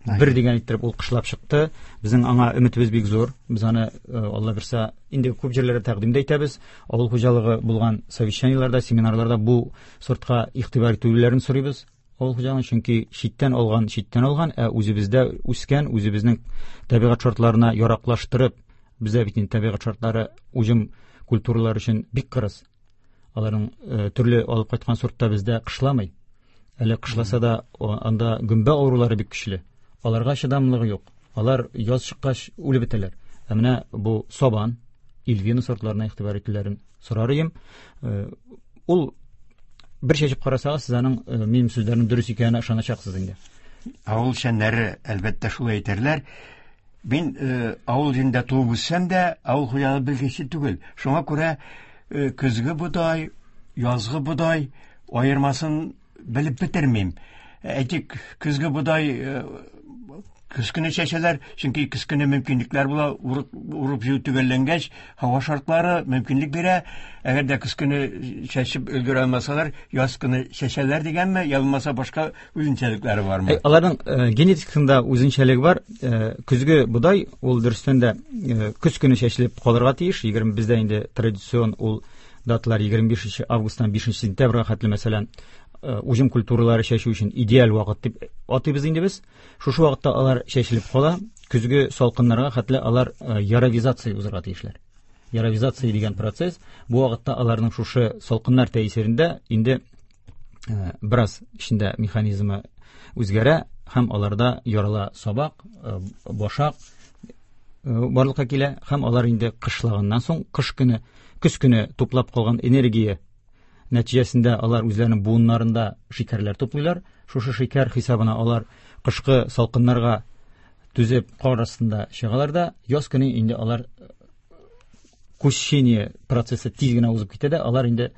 Бер дигән иттереп ул кышлап чыкты. Безнең аңа өметебез бик зур. Без аны, Алла бирсә, инде күп җирләрдә тәкъдим дә итәбез. Авыл хуҗалыгы булган совещаниеләрдә, семинарларда бу сортка игътибар итүләрен сорыйбыз. Авыл хуҗалыгы, чөнки читтән алган, читтән алган, ә үзебездә үскән, үзебезнең табигать шартларына яраклаштырып, бездә бит инде табигать шартлары уҗым культуралар өчен бик кырыс. Аларның, э, төрле алып кайткан сортта бездә кышламый. Әле кышласа да, о, анда гөмбә авырулары бик көчле. Аларга чыдамлыгы юк. Алар яз чыккач үлеп бетәләр. Ә менә бу сабан, Ильвина сортларына игътибар итүләрен сорар идем. Э, ул бер чәчеп карасагыз, сез аның, э, минем сүзләрнең дөрес икәненә ышаначаксыз инде. Авыл шәннәре әлбәттә шулай әйтерләр. Мин, э, авыл җирендә туып үссәм дә, авыл хуҗалыгы белгече түгел. Шуңа күрә, э, көзге бодай, язгы бодай аермасын белеп бетермим. Әйтик, көзге бодай, э, көз көне чәчәләр, чөнки көз көне мөмкинлекләр була, урып, урып җыю төгәлләнгәч, һава шартлары мөмкинлек бирә. Әгәр дә көз көне чәчеп өлгерә алмасалар, яз көне чәчәләр дигәнме, я булмаса башка үзенчәлекләре бармы? Әй, аларның, э, генетикасында үзенчәлеге бар. Э, көзге бодай ул дөрестән дә, э, көз көне чәчелеп калырга тиеш. Егерме бездә инде традицион ул даталар егерме бишенче августтан бишенче сентябрьгә хәтле, мәсәлән, э, уҗым культуралары чәчү өчен идеаль вакыт дип атыйбыз инде без. Шушы вакытта алар чәчелеп кала, көзге салкыннарга хәтле алар, э, яровизация узарга тиешләр. Яровизация дигән процесс бу вакытта аларның шушы салкыннар тәэсирендә инде, э, бераз эчендә механизмы үзгәрә һәм аларда ярала сабак, э, башак, э, барлыкка килә һәм алар инде кышлаганнан соң кыш көне, көз көне туплап калган энергия нәтиҗәсендә алар үзләренең буыннарында шикәрләр туплыйлар. Шушы шикәр хисабына алар кышкы салкыннарга түзеп кар астында чыгалар да, яз көне инде алар кущение процессы тиз генә узып китә дә, алар инде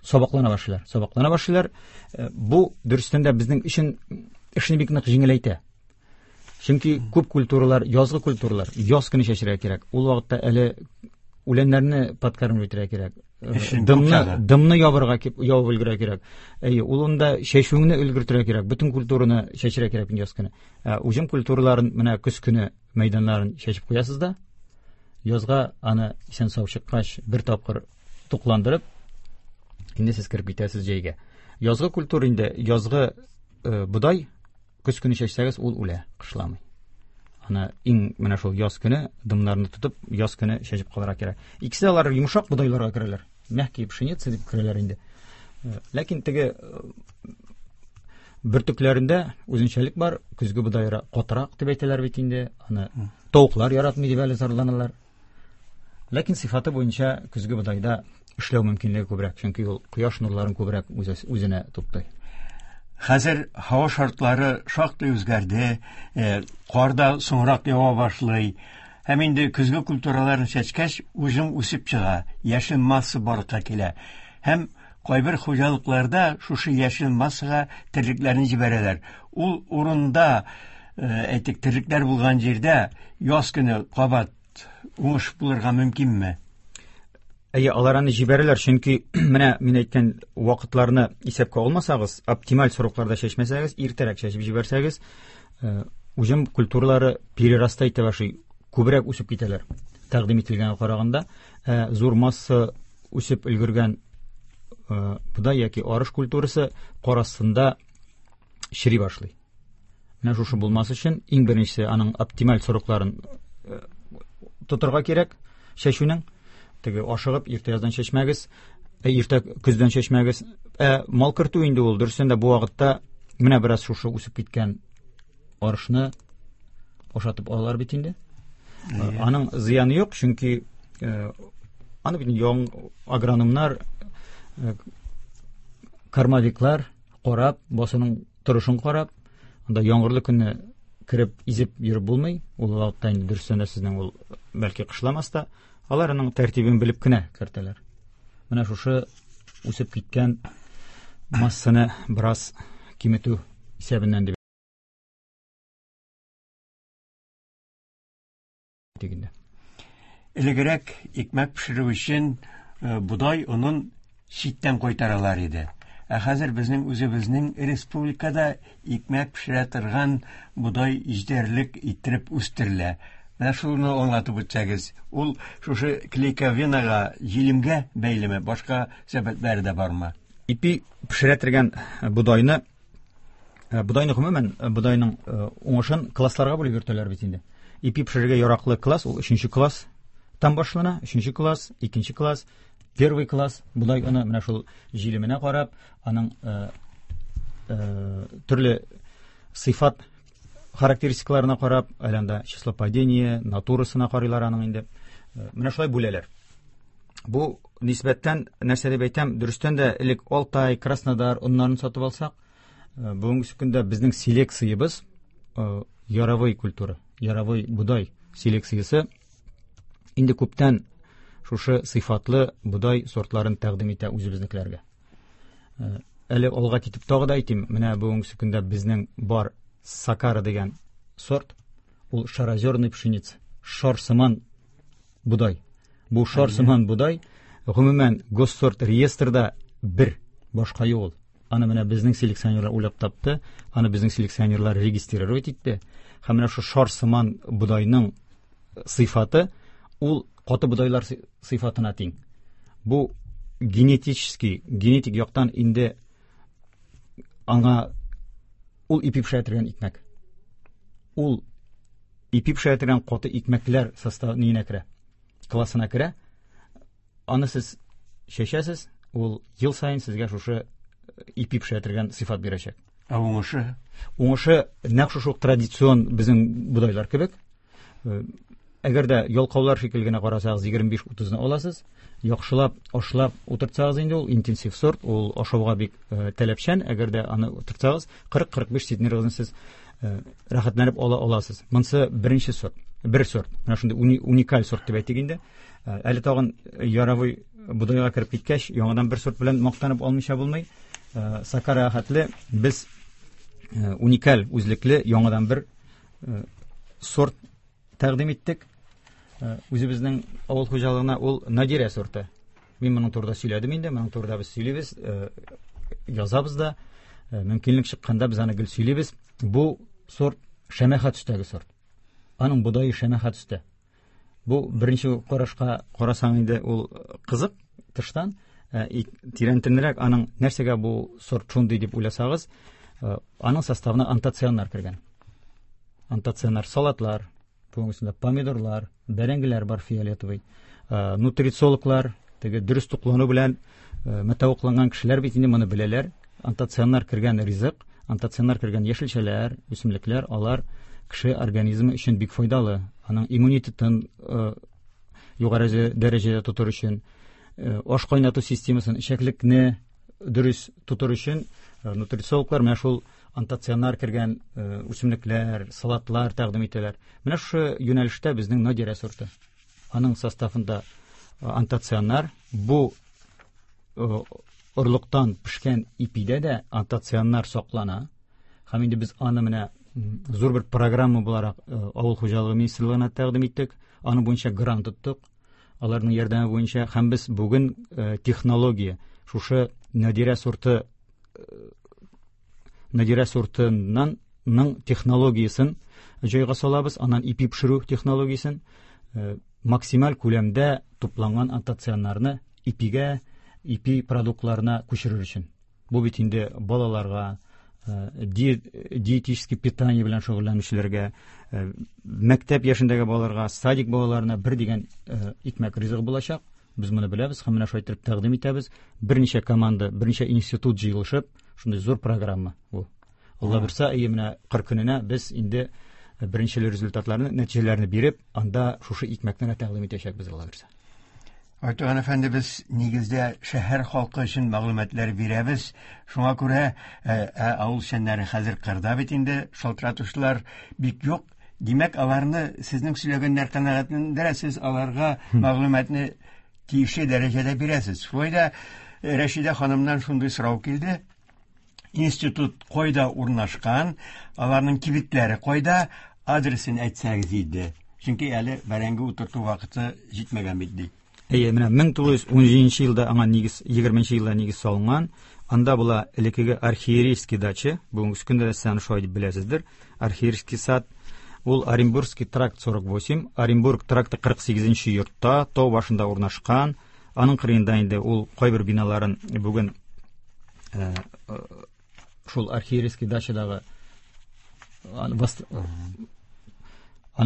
сабаклана башлыйлар. Сабаклана башлыйлар. Э, бу дөрестән дә безнең өчен эшне бик нык җиңеләйтә. Чөнки күп культуралар, язгы культуралар, яз көне чәчәргә кирәк. Ул вакытта әле үләннәрне подкормить итәргә кирәк. Э, Эшен дымны, күп чагы. Дымны ябырга кип, ябып өлгерергә кирәк. Әйе, ул унда чәчүеңне өлгертергә кирәк. Бөтен культураны чәчәргә кирәк яз көне. Ә уҗым культураларын менә көз көне мәйданнарын чәчеп куясыз да, язга аны исән сау чыккач бер тапкыр тукландырып, инде сез кереп китәсез җәйгә. Язгы культура инде, язгы, э, бодай көз көне чәчсәгез, ул үлә, кышламый. Аны иң менә шул яз көне дымнарны тотып, яз көне чәчеп калырга кирәк. Икесе алар йомшак бодайларга керәләр. Мягкие пшеница дип керәләр инде. Э, ләкин теге, э, бөртекләрендә үзенчәлек бар. Көзге бодайра катырак дип әйтәләр бит инде. Аны М. тавыклар яратмый дип әле зарланалар. Ләкин сыйфаты буенча көзге бодайда эшләү мөмкинлеге күбрәк, чөнки ул кояш нурларын күбрәк үзе, үзенә туплый. Хәзер һава шартлары шактый үзгәрде, э, кар да соңрак ява башлый. Һәм инде көзге культураларны чәчкәч, уҗым үсеп чыга, яшел масса барлыкка килә. Һәм кайбер хуҗалыкларда шушы яшел массага терлекләрне җибәрәләр. Ул урында, э, әйтик, терлекләр булган җирдә яз көне кабат уңыш булырга мөмкинме? Әйе, алар аны җибәрәләр, чөнки менә мин әйткән вакытларны исәпкә алмасагыз, оптималь срокларда чәчмәсәгез, иртәрәк чәчеп җибәрсәгез, э, уҗым культуралары перерастай итә башлый, күбрәк үсеп китәләр. Тәкъдим ителгәнгә караганда, э, зур масса үсеп өлгергән, э, бодай яки арыш культурасы кар астында чери башлый. Менә шушы булмас өчен иң беренчесе аның оптималь срокларын, э, тотырга кирәк чәчүнең. Теге ашыгып иртә яздан чәчмәгез, ә, иртә көздән чәчмәгез. Ә мал кертү инде ул дөрестән дә бу вакытта менә бераз шушы үсеп киткән арышны ашатып алалар бит инде. Әйе. Аның зыяны юк, чөнки, э, аны бит яң агрономнар, э, кормовиклар карап, басуның торышын карап, анда яңгырлы көнне кереп изеп йөреп булмый. Ул вакытта инде дөрестән дә сезнең ул бәлки кышламас та, алар аның тәртибен белеп кенә кертәләр. Менә шушы үсеп киткән массаны бераз киметү исәбеннән дип дигәндә. Элегрәк икмәк пешерү өчен бодай онын читтән кайтаралар иде. Ә хәзер безнең үзебезнең республикада икмәк пешерә торган бодай җитәрлек иттереп үстерелә. Менә шуны аңлатып үтсәгез, ул шушы клейковинага, җилемгә бәйлеме, башка сәбәпләре дә бармы? Ипи пешерә торган бодайны, бодайны гомумән, бодайның уңышын классларга бүлеп йөртәләр бит инде. Ипи пешерергә яраклы класс ул өченче класс там башлана, өченче класс, икенче класс, первый класс. Бодай оны менә шул җилеменә карап, аның э, э, төрле сыйфат характеристикаларына карап, әле анда число падения, натурасына карыйлар аның инде. Менә шулай бүләләр. Бу нисбәттән нәрсә дип әйтәм, дөрестән дә элек Алтай, Краснодар оннарын сатып алсак, бүгенге көндә безнең селекциябез яровой культура, яровой бодай селекциясе инде күптән шушы сыйфатлы бодай сортларын тәкъдим итә үзебезнекеләргә. Әле алга китеп тагы да әйтим, менә бүгенге көндә безнең бар Сакара дигән сорт, ул шарозерный пшеница, шар сыман бодай. Бу шар сыман бодай гомумән госсорт реестрда бер, башка юк ул. Аны менә безнең селекционерлар уйлап тапты, аны безнең селекционерлар регистрировать итте. Һәм менә шу шар сыман бодайның сыйфаты ул каты бодайлар сыйфатына тиң. Бу генетический, генетик яктан инде аңа ул ипи пешерә торган икмәк. Ул ипи пешерә торган каты икмәкләр составына керә, классына керә. Аны сез чәчәсез, ул ел саен сезгә шушы ипи пешерә торган сыйфат бирәчәк. Ә уңышы? Уңышы нәкъ шушы ук традицион безнең бодайлар кебек. Әгәр дә ялкаулар шикелле генә карасагыз, егерме биш утызны аласыз. Яхшылап, ашлап утыртсагыз инде ул интенсив сорт, ул ашауга бик таләпчән. Әгәр дә аны утыртсагыз, кырык-кырык биш центнерыгызны сез рәхәтләнеп ала аласыз. Монысы беренче сорт, бер сорт. Менә шундый уникаль сорт дип әйтик инде. Әле тагын яровой бодайга кереп киткәч, яңадан бер сорт белән мактанып алмыйча булмый. Сакара хәтле без уникаль үзлекле яңадан бер сорт тәкъдим иттек. Үзебезнең авыл хуҗалыгына ул Надирә сорты. Мин моның турында сөйләдем инде, моның турында без сөйлибез, язабыз да. Мөмкинлек чыкканда без аны гел сөйлибез. Бу сорт шәмәхә төстәге сорт. Аның бодае шәмәхә төстә. Бу беренче карашка карасаң инде ул кызык тыштан, тирәнтенрәк аның нәрсәгә бу сорт шундый дип уйласагыз, аның составына антоцианнар кергән. Антоцианнар салатлар, бүгенгесендә помидорлар, бәрәңгеләр бар фиолетовый. Нутрициологлар, теге дөрес туклану белән мөтәвакланган кешеләр бит инде моны беләләр. Антоцианнар кергән ризык, антоцианнар кергән яшелчәләр, үсемлекләр, алар кеше организмы өчен бик файдалы. Аның иммунитетын югары дәрәҗәдә тотыр өчен, аш кайнату системасын, эчәклекне дөрес тотыр өчен нутрициологлар менә шул антоцианнар кергән үсемлекләр, салатлар тәкъдим итәләр. Менә шушы юнәлештә безнең Надирә сорты. Аның составында антоцианнар, бу орлыктан пешкән ипидә дә антоцианнар саклана. Һәм инде без аны менә зур бер программа буларак авыл хуҗалыгы министрлыгына тәкъдим иттек. Аны буенча грант тоттык. Аларның ярдәме буенча һәм без бүген технология шушы Надирә сорты Надирә сортыннан ның технологиясен җайга салабыз, аннан ипи пешерү технологиясен максималь күләмдә тупланган антоцианнарны ипигә, ипи продуктларына күчерер өчен. Бу бит инде балаларга, диетический питание белән шөгыльләнүчеләргә, мәктәп яшендәге балаларга, садик балаларына бер дигән икмәк ризыгы булачак. Без моны беләбез һәм менә шулай итеп тәкъдим итәбез. Берничә команда, берничә институт җыелышып, шундый зур программа бу. Алла бирсә, әйе, менә кыр көненә без инде беренче результатларны, нәтиҗәләрне биреп, анда шушы икмәкне тәкъдим итәчәкбез, Алла бирсә. Айтуган әфәнде, без нигездә шәһәр халкы өчен мәгълүматлар бирәбез. Шуңа күрә авыл эшчәннәре хәзер кырда бит инде, шалтыратучылар бик юк. Димәк, аларны сезнең сөйләгәннәр канәгатьләндерә, сез аларга мәгълүматны тиешле дәрәҗәдә бирәсез. Шулай да Рәшидә ханымнан шундый сорау килде. Институт кайда урнашкан, аларның кибетләре кайда, адресын әйтсәгез иде. Чөнки әле бәрәңге утырту вакыты җитмәгән бит ди. Әйе, менә мең тугыз йөз унҗиденче елда аңа нигез, егерменче елда нигез салынган. Анда була элеккеге архиерейский дача, бүгенге көндә дә сез аны шулай дип беләсездер. Архиерейский сад, ул Оренбургский тракт сорок восемь, Оренбург тракты кырык сигезенче йортта, тау башында урнашкан. Аның кырыенда инде ул кайбер биналарын бүген, э, э, шул архиерейский дачадагы аны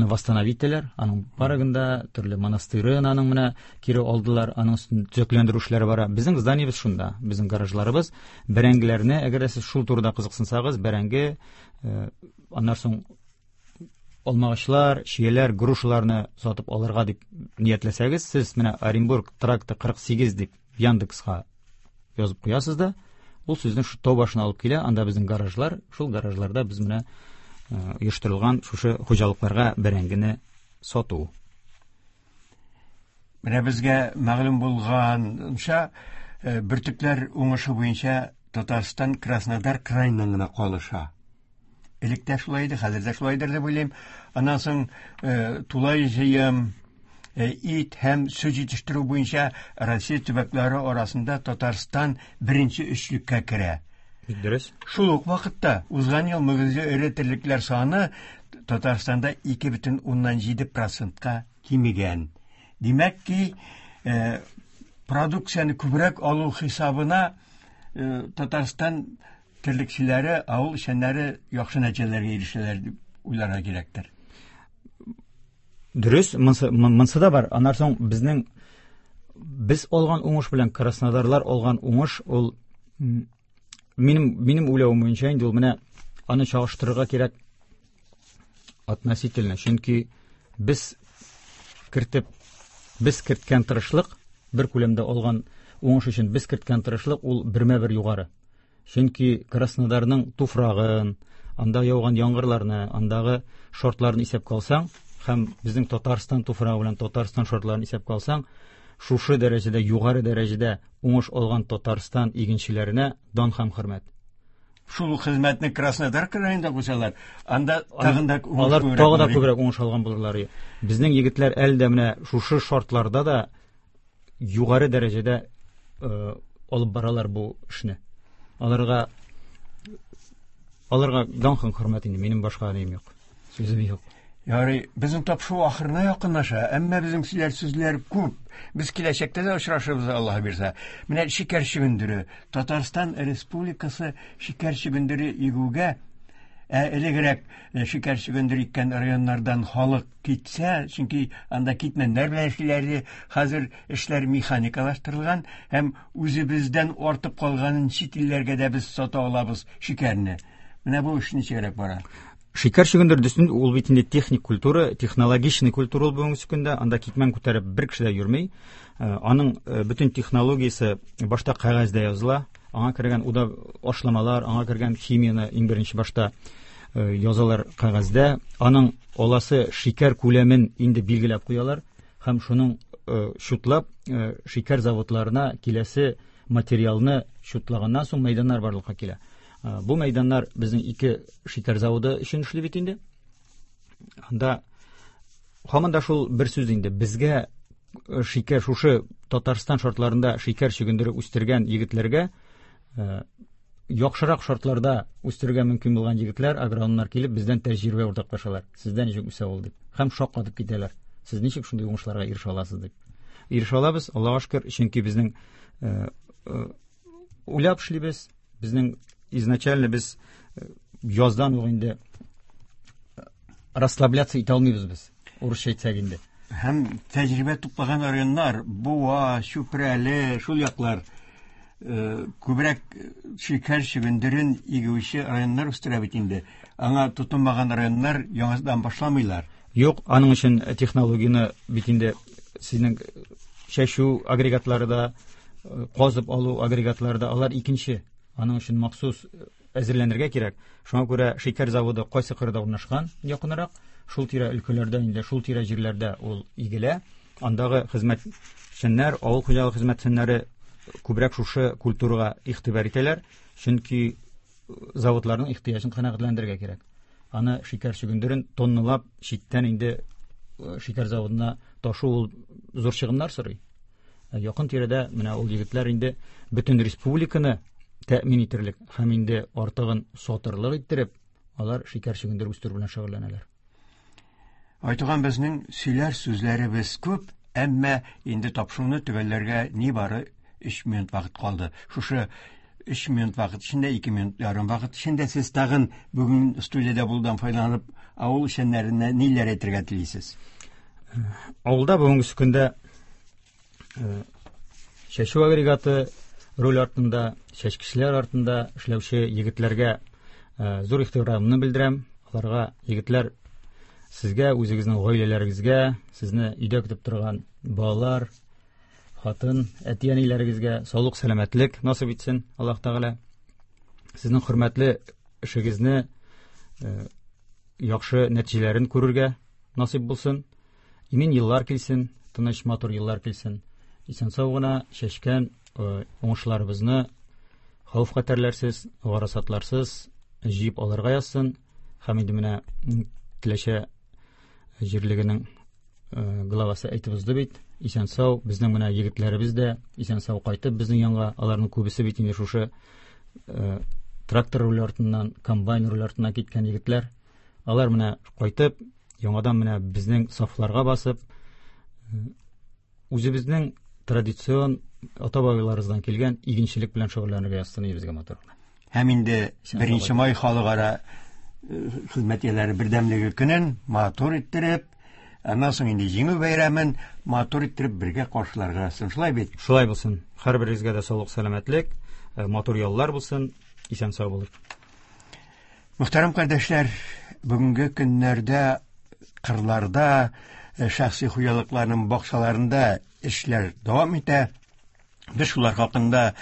восстановить итәләр, аның парагында төрле монастырын аның менә кире алдылар, аның өстен төзекләндерү эшләре бара. Безнең зданиебез шунда, безнең гаражларыбыз, бәрәңгеләрне, әгәр дә сез шул турыда кызыксынсагыз, бәрәңге, э, аннан соң алмагачлар, чияләр, грушаларны сатып алырга дип ниятләсәгез, сез менә Оренбург тракты кырык сигез дип Яндекска язып куясыз да, ул сезне шу тау башына алып килә, анда безнең гаражлар, шул гаражларда без менә, э, оештырылган шушы хуҗалыкларга бәрәңгене сату. Менә безгә мәгълүм булганча, э, бөртекләр уңышы буенча Татарстан Краснодар краеннан гына калыша. Элек тә шулай иде, хәзер дә шулайдыр дип уйлыйм. Аннан соң, э, тулай җыем, э, ит һәм сөт җитештерү буенча Россия төбәкләре арасында Татарстан беренче өчлеккә керә. Бик дөрес. Шул ук вакытта узган ел мөгезле эре терлекләр саны Татарстанда ике бөтен уннан җиде процентка кимегән. Димәк ки, э, продукцияне күбрәк алу хисабына, э, Татарстан терлекчеләре, авыл эшчәннәре яхшы нәтиҗәләргә ирешәләр дип уйларга кирәктер. Дөрес, монсы, монсы да бар. Аннан соң безнең, без алган уңыш белән Краснодарлар алган уңыш ул, м, минем, минем уйлавым буенча инде ул менә аны чагыштырырга кирәк относительно, чөнки без кертеп, без керткән тырышлык, бер күләмдә алган уңыш өчен без керткән тырышлык ул бермә-бер югары. Чөнки Краснодарның туфрагын, анда яуган яңгырларны, андагы шартларны исәпкә алсаң, һәм безнең Татарстан туфрагы белән Татарстан шартларын исәпкә алсаң, шушы дәрәҗәдә, югары дәрәҗәдә уңыш алган Татарстан игенчеләренә дан һәм хөрмәт. Шул ук хезмәтне Краснодар краенда куйсалар, анда Ан- тагын да уңыш алар күбрәк тагы да булыр иде. күбрәк уңыш алган булырлар иде. Безнең егетләр әле дә менә шушы шартларда да югары дәрәҗәдә, э, алып баралар бу эшне. Аларга, аларга дан һәм хөрмәт инде, минем башка нем юк, сүзем юк. Ярый, безнең тапшыру ахырына якынлаша, әмма безнең сөйләр сүзләр күп. Без киләчәктә дә очрашырбыз, Аллаһ бирсә. Менә шикәр чөгендере, Татарстан Республикасы шикәр чөгендере игүгә, ә, элегрәк, э, шикәр чөгендере иккән районнардан халык китсә, чөнки анда китмәннәр белән эшлиләр иде, хәзер эшләр механикалаштырылган һәм үзебездән артып калганын чит илләргә дә без сата алабыз шикәрне. Менә бу эш ничегрәк бара? Шикәр чөгендере дөресен, ул бит инде техник культура, технологичный культура ул бүгенге көндә, анда китмән күтәреп бер кеше дә йөрми. Э, аның, э, бөтен технологиясе башта кәгазьдә языла, аңа кергән уда ашламалар, аңа кергән химияне иң беренче башта, э, язалар кәгазьдә. Аның аласы шикәр күләмен инде билгеләп куялар һәм шуның, э, чутлап, э, шикәр заводларына киләсе материалны чутлаганнан соң мәйданнар барлыкка килә. Э, бу мәйданнар безнең ике шикәр заводы өчен эшли бит инде. Анда һаман да шул бер сүз инде. Безгә, э, шикәр шушы Татарстан шартларында шикәр чөгендере үстергән егетләргә, э, яхшырак шартларда үстерергә мөмкин булган егетләр, агрономнар килеп бездән тәҗрибә уртаклашалар. Сездә ничек үсә ул дип. Һәм шаккатып китәләр. Сез ничек шундый уңышларга ирешә аласыз дип. Ирешә алабыз, Аллаһка шөкер, чөнки безнең, э, э, уйлап эшлибез. Безнең изначально без, э, яздан ук инде расслабляться итә алмыйбыз без, урысча әйтсәк инде. Һәм тәҗрибә туплаган районнар, Буа, Чүпрәле, шул яклар, э, күбрәк шикәр чөгендерен игүче районнар үстерә бит инде. Аңа тотынмаган районнар яңадан башламыйлар. Юк, аның өчен технологияне бит инде сезнең Чәчү агрегатлары да, казып алу агрегатлары да, алар икенче. Аның өчен махсус әзерләнергә кирәк. Шуңа күрә шикәр заводы кайсы кырда урнашкан якынрак, шул тирә өлкәләрдә инде, шул тирә җирләрдә ул игелә. Андагы хезмәтчәннәр, авыл хуҗалыгы хезмәтчәннәре күбрәк шушы культурага игътибар итәләр, чөнки заводларның ихтыяҗын канәгатьләндерергә кирәк. Аны шикәр чөгендерен тонналап читтән инде шикәр заводына ташу ул зур чыгымнар сорый. Якын тирәдә менә ул егетләр инде бөтен республиканы тәэмин итерлек һәм инде артыгын сатырлык иттереп, алар шикәр чөгендере үстерү белән шөгыльләнәләр. Айтуган, безнең сөйләр сүзләребез күп, әмма инде тапшыруны төгәлләргә нибары өч минут вакыт калды. Шушы өч минут вакыт эчендә, ике минут ярым вакыт эчендә сез тагын бүген студиядә булудан файдаланып, авыл эшчәннәренә ниләр әйтергә телисез? Авылда бүгенге көндә чәчү агрегаты руль артында, чәчкечләр артында эшләүче егетләргә зур ихтирамны белдерәм. Аларга, егетләр, сезгә, үзегезнең гаиләләрегезгә, сезне өйдә көтеп торган балалар, хатын, әти-әниләрегезгә саулык, сәламәтлек насыйп итсен Аллаһ Тәгалә. Сезнең хөрмәтле эшегезне яхшы нәтиҗәләрен күрергә насыйп булсын. Имин еллар килсен, тыныч, матур еллар килсен. Исән-сау гына чәчкән уңышларыбызны хәвеф-хәтәрләрсез, гарасатларсыз җыеп алырга язсын. Һәм инде менә Теләче җирлегенең главасы әйтеп узды бит, исән-сау безнең менә егетләребез дә исән-сау кайтып безнең янга, аларның күбесе бит инде шушы трактор руль артыннан, комбайн руль артыннан киткән егетләр. Алар менә кайтып, яңадан менә безнең сафларга басып, үзебезнең традицион ата-бабаларыбыздан килгән игенчелек белән шөгыльләнергә язсын безгә матур гына. Һәм инде беренче май халыкара хезмәт ияләре бердәмлеге көнен матур иттереп, аннан соң инде Җиңү бәйрәмен матур иттереп бергә каршыларга язсын. Шулай бит? Шулай булсын. Һәрберегезгә дә саулык, сәламәтлек, матур яллар булсын, исән-сау булыйк. Мөхтәрәм кардәшләр, бүгенге көннәрдә кырларда, шәхси хуҗалыкларның бакчаларында эшләр дәвам итә. Без шулар хакында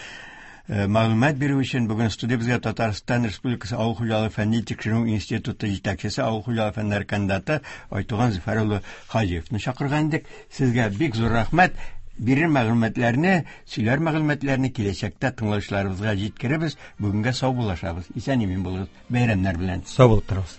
мәгълүмат бирү өчен бүген студиябезгә Татарстан Республикасы Авыл хуҗалыгы фәнни тикшеренү институты җитәкчесе, авыл хуҗалыгы фәннәре кандидаты Айтуган Зөфәр улы Хаҗиевны чакырган идек. Сезгә бик зур рәхмәт. Бирер мәгълүматларны, сөйләр мәгълүматларны киләчәктә тыңлаучыларыбызга җиткеребез. Бүгенгә сау булашабыз. Исән-имин булыгыз. Бәйрәмнәр белән. Сау булып торыгыз.